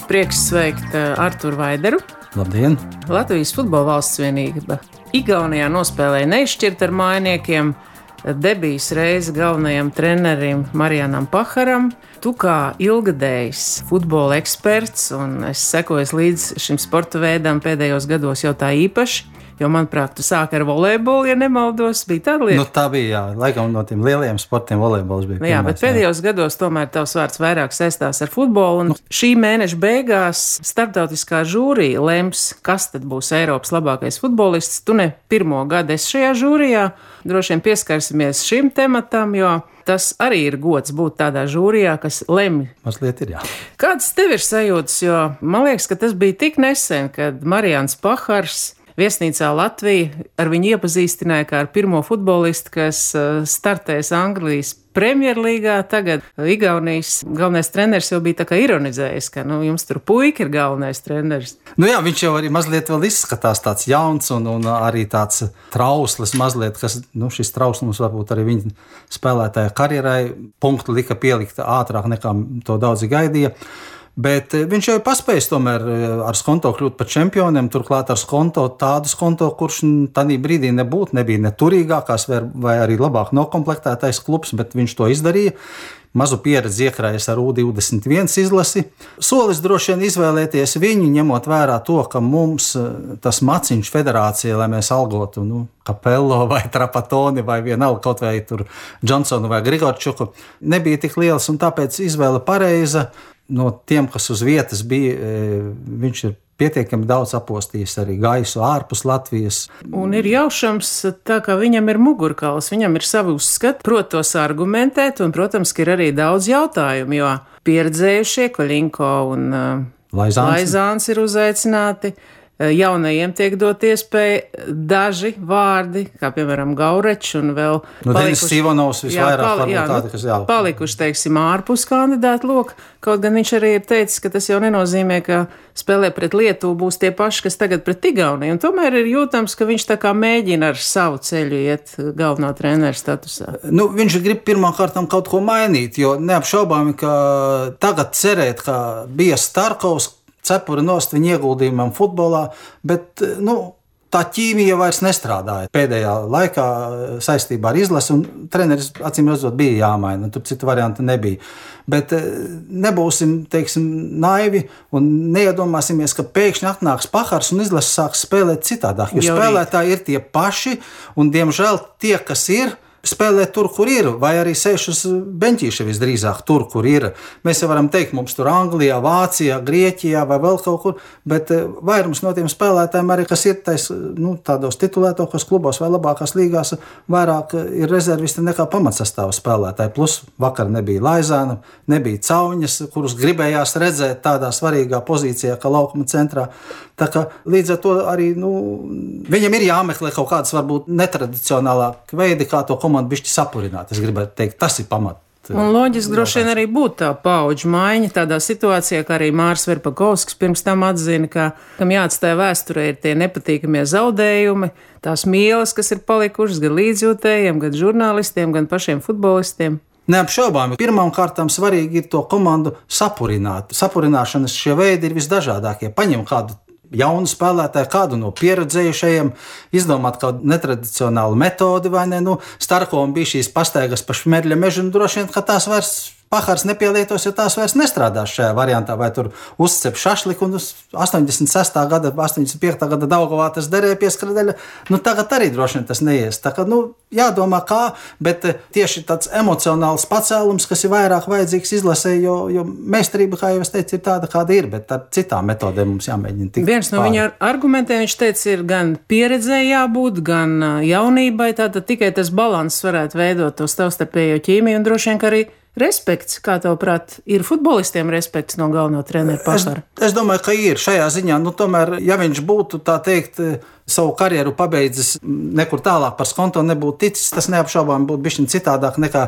Prieks sveikt Arturu Vaideru. Labdien! Latvijas Futbola valsts vienība Igaunijā nospēlēja neizšķirt ar mainiekiem. Debijas reize galvenajam trenerim Marijanam Paharam. Tu kā ilgadējs futbola eksperts, un es sekoju līdz šim sporta veidam pēdējos gados jau tā īpaši, jo, manuprāt, tu sāki ar volejbolu, ja nemaldos, bija tāda lieta. Nu, tā bija, jā, laikam no tiem lielajiem sportiem volejbols bija pirmais. Jā, bet pēdējos gados tomēr tavs vārds vairāk saistās ar futbolu, un šī mēneša beigās starptautiskā žūrija lems, kas tad būs Eiropas labākais futbolists. Tu ne pirmo gadu esi šajā žūrijā, droši vien pieskarsimies šim tematam, jo tas arī ir gods būt tādā žūrijā, kas lemj. Mazliet ir, jā. Kāds tev ir sajūtas, jo man liekas, ka tas bija tik nesen, kad Marijans Pahars viesnīcā Latvija ar viņu iepazīstināja kā ar pirmo futbolistu, kas startēs Anglijas Premjerlīgā. Tagad Igaunijas galvenais treneris jau bija tā kā ironizējis, ka jums tur puika ir galvenais treneris. Nu jā, viņš jau arī mazliet vēl izskatās tāds jauns un arī tāds trauslis mazliet, kas, šis trauslums varbūt arī viņa spēlētāja karjerai punktu lika pielikt ātrāk nekā to daudzi gaidīja. Bet viņš jau ir paspējis tomēr ar Skonto kļūt par čempioniem, turklāt ar Skonto tādu Skonto, kurš tādā brīdī nebija ne turīgākās vai arī labāk nokomplektētais klubs, bet viņš to izdarīja. Mazu pieredzi iekrājas ar U21 izlasi. Solis droši vien izvēlēties viņu, ņemot vērā to, ka mums tas maciņš federācija, lai mēs algotu Kapello vai Trapatoni vai vienalga kaut vai tur Džonsonu vai Grigorčuku, nebija tik liels, un tāpēc izvēle pareiza. No tiem, kas uz vietas bija, viņš ir pietiekami daudz apostījis arī gaisu ārpus Latvijas. Un ir jaušams, tā kā viņam ir mugurkauls, viņam ir savi uzskati, prot tos argumentēt, un, protams, ka ir arī daudz jautājumu, jo pieredzējušie Koļinko un Laizāns ir uzaicināti. Jaunajiem tiek dot iespēja daži vārdi, kā piemēram Gaurečs un vēl Denis Sivonovs visvairāk palikuši, teiksim, ārpus kandidātu loka. Kaut gan viņš arī ir teicis, ka tas jau nenozīmē, ka spēlē pret Lietuvu būs tie paši, kas tagad pret Igauniju. Un tomēr ir jūtams, ka viņš tā kā mēģina ar savu ceļu iet galvenā trenera statusā. Viņš grib pirmkārt kaut ko mainīt, jo neapšaubāmi, ka tagad cerēt, ka bija Starkovs, cepura nost viņa ieguldījumam futbolā, bet tā ķīmija vairs nestrādāja pēdējā laikā saistībā ar izlasi, un treneris acīm redzot bija jāmaina, tur citu variantu nebija. Bet nebūsim, teiksim, naivi un neiedomāsimies, ka pēkšņi atnāks Pahars un izlase sāks spēlēt citādāk, jo spēlētāji ir tie paši, un diemžēl tie, kas ir, spēlē tur, kur ir, vai arī sēž uz beņķīša visdrīzāk tur, kur ir. Mēs jau varam teikt, mums tur Anglijā, Vācijā, Grieķijā vai vēl kaut kur, bet vairums no tiem spēlētājiem arī, kas ir tādos titulētākos klubos vai labākās līgās, vairāk ir rezervisti nekā pamatsastāva spēlētāji. Plus vakar nebija Laizāna, nebija Cauņas, kurus gribējās redzēt tādā svarīgā pozīcijā, kā laukuma centrā. Tā kā līdz ar to arī viņam ir jāmeklē kaut kādas varbūt netradicionālāk veidi, kā to komandu bišķi sapurināt. Es gribētu teikt, tas ir pamat. Un loģiski droši vien arī būtu tā paudžu maiņa tādā situācijā, kā arī Māris Verpakovskis pirms tam atzina, ka kam jāatstāja vēsturē ir tie nepatīkamie zaudējumi, tās mīlas, kas ir palikušas gan līdzjūtējiem, gan žurnālistiem, gan pašiem futbolistiem. Neapšaubāmi, pirmām kārtām svarīgi ir to komandu sapurināt. Sapurināšanas šie veidi ir visdažādākie. Paņem kādu jaunu spēlētāju, kādu no pieredzējušajiem, izdomāt kādu netradicionālu metodi, vai ne? Starkovam bija šīs pastaigas pa Šmerļa mežu, un droši vien, ka tās vairs Pahars nepielietos, jo tās vairs nestrādās šajā variantā, vai tur uzcep šašliku, un 86. gada, 85. gada Daugavā tas derēja pie skradeļa. Tagad arī droši vien tas neies. Tā kā, jādomā kā, bet tieši tāds emocionāls pacēlums, kas ir vairāk vajadzīgs izlasē, jo meistarība, kā jau es teicu, ir tāda, kāda ir, bet ar citām metodēm mums jāmēģina tikt. Viens no viņa argumentiem, viņš teica, ir gan pieredzē jābūt, gan jaunībai, tātad tikai tas balanss varētu veidot to savstarpējo ķīmiju, un droši vien, ka arī respekts, kā tavuprāt, ir futbolistiem respekts no galvenā trenera Pahara? Es domāju, ka ir šajā ziņā. Tomēr, ja viņš būtu, tā teikt, savu karjeru pabeidzis nekur tālāk par Skonto nebūtu ticis, tas neapšaubām būtu bišķiņ citādāk nekā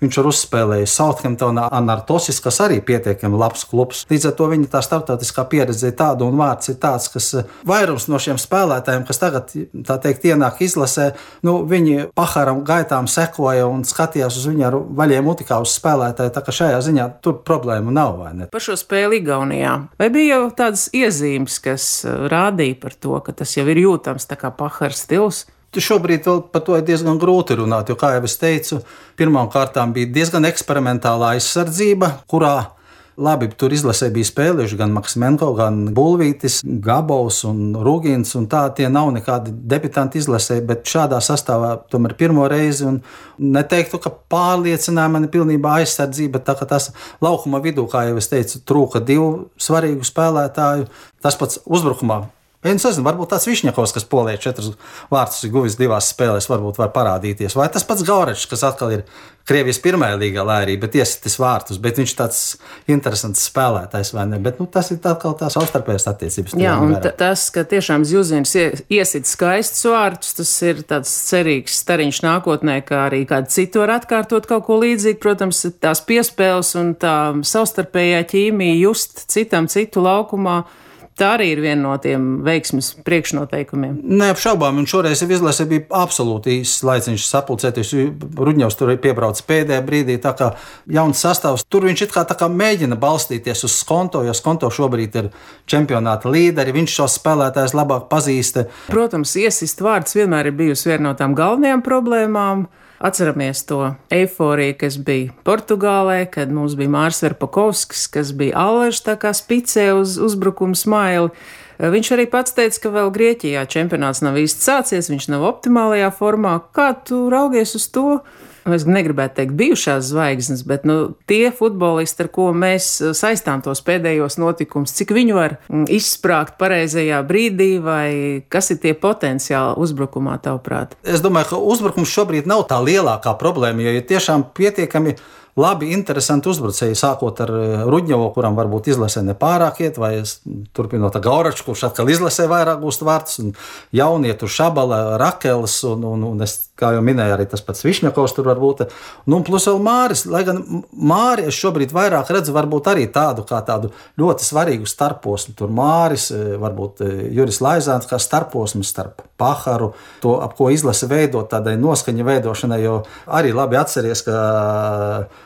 viņš ir uzspēlējis Southamptonā Anartosis, kas arī pietiekami labs klubs. Līdz ar to viņa tā starptautiskā pieredze ir tāda un vārds ir tāds, kas vairums no šiem spēlētājiem, kas tagad, tā teikt, ienāk izlasē, viņi Paharam gaitām sekoja un skatījās uz viņu ar vaļiem mutikā uz spēlētājiem. spēlētāji, tā kā šajā ziņā tur problēmu nav, vai ne? Par šo spēli Igaunijā. Vai bija jau tādas iezīmes, kas rādīja par to, ka tas jau ir jūtams tā kā Pahara stils? Šobrīd vēl par to ir diezgan grūti runāt, jo, kā jau es teicu, pirmām kārtām bija diezgan eksperimentāla aizsardzība, kurā labi, tur izlasē bija spēlējuši gan Maksimenko, gan Bulvītis, Gabovs un Rūgins, un tā tie nav nekādi debitanti izlasē, bet šādā sastāvā tomēr pirmo reizi, un neteiktu, ka pārliecināja mani pilnībā aizsardzība, tā ka tas laukuma vidū, kā jau es teicu, trūka 2 svarīgu spēlētāju, tas pats uzbrukumā. Es nezinu, varbūt tāds Višņakovs, kas Polijā 4 vārtus ir guvis 2 spēlēs, varbūt var parādīties. Vai tas pats Gaurečs, kas atkal ir Krievijas pirmajā līgā, lai arī, bet iesitis vārtus, bet viņš tāds interesants spēlētājs, vai ne? Bet tas ir atkal tās savstarpējās attiecības. Jā, un tas, ka tiešām Zjuzins iesit skaistus vārtus, tas ir tāds cerīgs stariņš nākotnē, kā arī kādu citu var atkārtot kaut ko līdzīgu. Protams, tās piespēles un tā savstarpējā ķīmija just citam citu laukumā. Tā arī ir viena no tiem veiksmes priekšnoteikumiem. Neapšaubām, un šoreiz izlase bija absolūti īsts laiciņš sapulcēties. Rudņevs tur piebrauca pēdējā brīdī, tā kā jauns sastāvs. Tur viņš it kā mēģina balstīties uz Skonto, jo Skonto šobrīd ir čempionāta līderi, viņš šos spēlētājus labāk pazīst. Protams, iesist vārds vienmēr ir bijusi viena no tām galvenajām problēmām. Atceramies to eiforiju, kas bija Portugālē, kad mums bija Mārs Verpakovskis, kas bija Allažs tā kā spicē uz uzbrukumu smaili. Viņš arī pats teica, ka vēl Grieķijā čempionāts nav īsti sācies, viņš nav optimālajā formā. Kā tu raugies uz to? Es negribētu teikt bijušās zvaigznes, bet tie futbolisti, ar ko mēs saistām tos pēdējos notikumus, cik viņi var izsprāgt pareizajā brīdī, vai kas ir tie potenciāli uzbrukumā, tavuprāt? Es domāju, ka uzbrukums šobrīd nav tā lielākā problēma, jo ir tiešām pietiekami labi, interesanti uzbrucēji, sākot ar Rudņevu, kuram varbūt izlasē nepārāk iet, vai turpinot ar Gauraču, kurš atkal izlasē vairāk gūst vārtus, un jaunietu Šabala, Rakels, un es, kā jau minēju, arī tas pats Višņakovs tur var būt. Un plus vēl Māris, lai gan Māri es šobrīd vairāk redzu varbūt arī tādu ļoti svarīgu starposmu. Tur Māris, varbūt Juris Laizāns kā starposms starp Paharu, to, ap ko izlase veidot, tādai noskaņa veidošanai, jo arī labi atceries, ka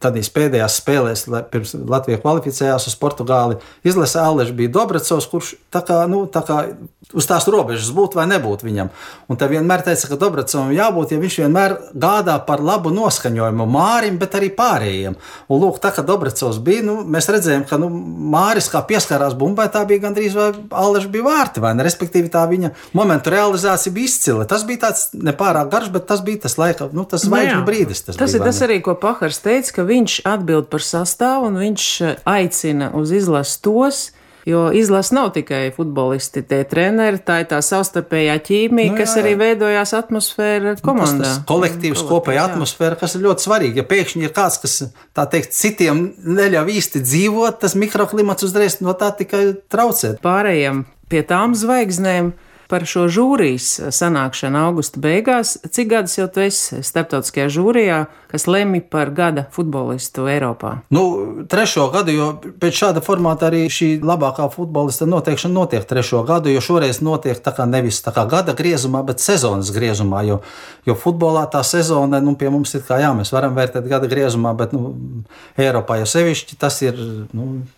tādīs pēdējās spēlēs, pirms Latvija kvalificējās uz Portugāli, izlase Allažs bija Dobracovs, kurš tā kā uz tās robežas būt vai nebūt viņam. Un te vienmēr teica, ka Dobracovam jābūt, ja viņš vienmēr gādā par labu noskaņojumu Mārim, bet arī pārējiem. Un lūk, tā kā Dobracovs bija, mēs redzējām, ka Māris kā pieskārās bumbai, tā bija gandrīz vai Allažs bija vārti, vai ne? Respektīvi tā viņa momentu realizācija bija izcila. Tas bija tāds nepārāk garš, bet tas bija tas laika, tas zvaigžņu brīdis. Tas ir tas arī, ko Pahars teica, ka viņš atbild par sastāvu un viņš aicina uz izlasi tos, jo izlase nav tikai futbolisti, tie treneri, tā ir tā savstarpējā ķīmija, kas arī veidojās atmosfēra komandā. Tas kolektīvs, kopēja atmosfēra, kas ir ļoti svarīgi. Ja pēkšņi ir kāds, kas, tā teikt, citiem neļauj īsti dzīvot, tas mikroklimats uzreiz no tā tikai traucē. Pārējiem pie tām zvaigznēm. Par šo žūrijas sanākšanu augusta beigās, cik gadus jau tu esi starptautiskajā žūrijā, kas lemj par gada futbolistu Eiropā? 3. gadu, jo pēc šāda formāta arī šī labākā futbolista noteikšana notiek 3. gadu, jo šoreiz notiek nevis gada griezumā, bet sezonas griezumā, jo futbolā tā sezona, pie mums ir kā mēs varam vērtēt gada griezumā, bet Eiropā jau sevišķi tas ir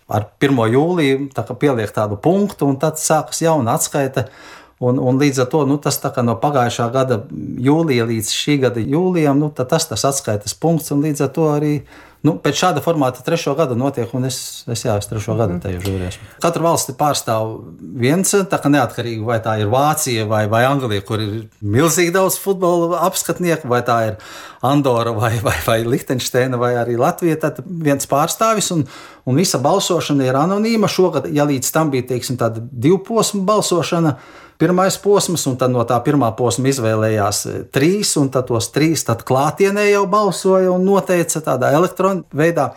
ar 1. jūliju pieliek tādu punktu, un tad sākas jauna atskaite. Un līdz ar to tas no pagājušā gada jūlija līdz šī gada jūlijam, tas atskaites punkts, un līdz ar to arī pēc šāda formāta 3. gada notiek, un es 3. gada tajā žūrijā. Katra valsti pārstāv viens, neatkarīgi vai tā ir Vācija vai Anglija, kur ir milzīgi daudz futbola apskatnieku, vai tā ir Andora vai Lihtenšteina vai arī Latvija, tad viens pārstāvis, un visa balsošana ir anonīma. Šogad, ja līdz tam bija, teiksim, tāda 2 posmu balsošana, 1. posms, un tad no tā 1. posma izvēlējās 3, un tad tos 3 klātienē jau balsoja un noteica tādā elektronu veidā.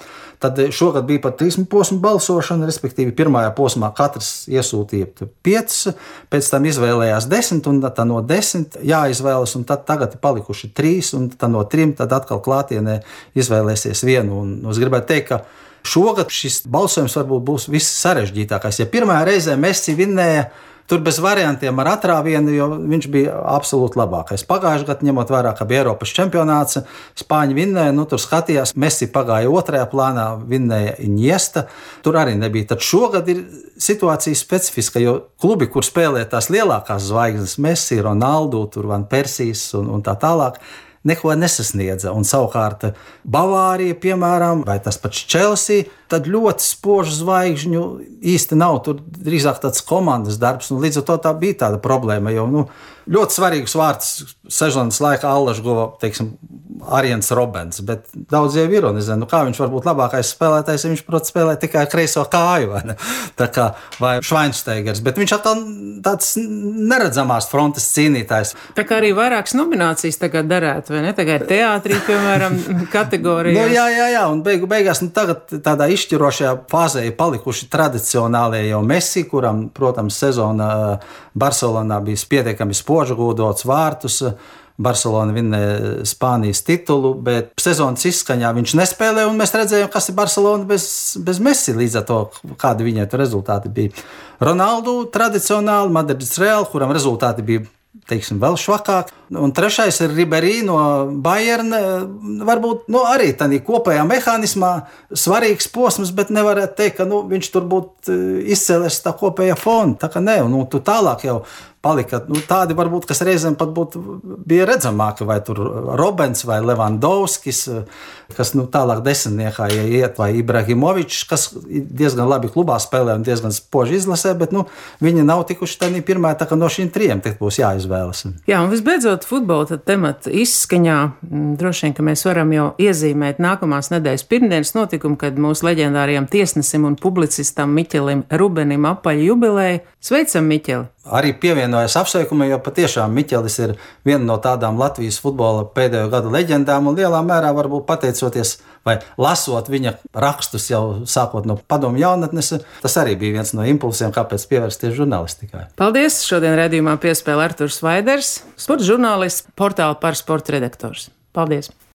Tad šogad bija pat 3 posmu balsošana, respektīvi 1. posmā katrs iesūtīja 5, pēc tam izvēlējās 10, un tad no 10 jāizvēlas, un tad tagad ir palikuši 3, un tad no 3 tad atkal klātienē izvēlēsies 1. Un es gribētu teikt, ka šogad šis balsojums varbūt būs viss sarežģītākais. Ja pirmajā reizē Messi vinnēja tur bez variantiem ar atrāvienu, jo viņš bija absolūti labākais. Pagājušajā gadā, ņemot vērā, ka bija Eiropas čempionāts, Spāņi vinnēja, tur skatījās, Messi pagāja otrajā plānā, vinnēja Iniesta, tur arī nebija. Tad šogad ir situācija specifiska, jo klubi, kur spēlē tās lielākās zvaigznes, Messi, Ronaldo, tur Van Persijas un tā tālāk, neko nesasniedza. Un savukārt Bavārija, piemēram, vai tas pats Chelsea, tad ļoti spožu zvaigžņu īsti nav. Tur drīzāk tāds komandas darbs, un līdz ar to tā bija tāda problēma, jo ļoti svarīgus vārdus sezonas laikā Allaž guva, teiksim, Arjens Robens, bet daudz jau ironizē, kā viņš var būt labākais spēlētājs, ja viņš, protams, spēlē tikai kreiso kāju, vai Švainsteigers, bet viņš atkal tāds neredzamās frontes cīnītājs. Tā kā arī vairākas nominācijas tagad darētu, vai ne? Tagad teātrī, piemēram, kategorijās. Jā, un beigās tagad tādā izšķirošajā fāzē ir palikuši tradicionālie jau Messi, kuram, protams, sezona Barcelonā bija pietiekami spoži gūdots vārtus. Barcelona vinnēja Spānijas titulu, bet sezonas izskaņā viņš nespēlēja, un mēs redzējām, kas ir Barcelona bez Messi, līdz ar to, kādi viņai rezultāti bija. Ronaldo tradicionāli, Madrids Real, kuram rezultāti bija, teiksim, vēl švakāk. Un trešais ir Ribery no Bayern, varbūt arī tādā kopējā mehānismā svarīgs posms, bet nevarētu teikt, ka viņš tur būtu izcēlies tā kopējā fona. Tā kā nē, un tu tālāk jau palika tādi, varbūt, kas reizēm pat bija redzamāki, vai tur Robens vai Levandovskis, kas tālāk desmitniekā iet, vai Ibrahimovičs, kas diezgan labi klubā spēlē un diezgan spoži izlasē, bet viņi nav tikuši tādā pirmā, tā kā no šīm trijiem būs jāizvēlas. Jā, un visbeidzot, futbola temata izskaņā, droši vien, ka mēs varam jau iezīmēt nākamās nedēļas pirmdienas notikumu, kad mūsu leģendārajam tiesnesim un publicistam Miķelim Rubenim apaļ jubileja. Sveicam, Miķeli! Arī pievienojas apsveikumam, jo patiešām Miķelis ir viena no tādām Latvijas futbola pēdējo gadu leģendām, un lielā mērā varbūt pateicoties vai lasot viņa rakstus jau sākot no padomju jaunatnes, tas arī bija viens no impulsiem, kāpēc pievērsties žurnālistikai. Paldies! Šodien raidījumā piespēlē Arturs Vaiders, sporta žurnālists, portāla Par sporta redaktors. Paldies!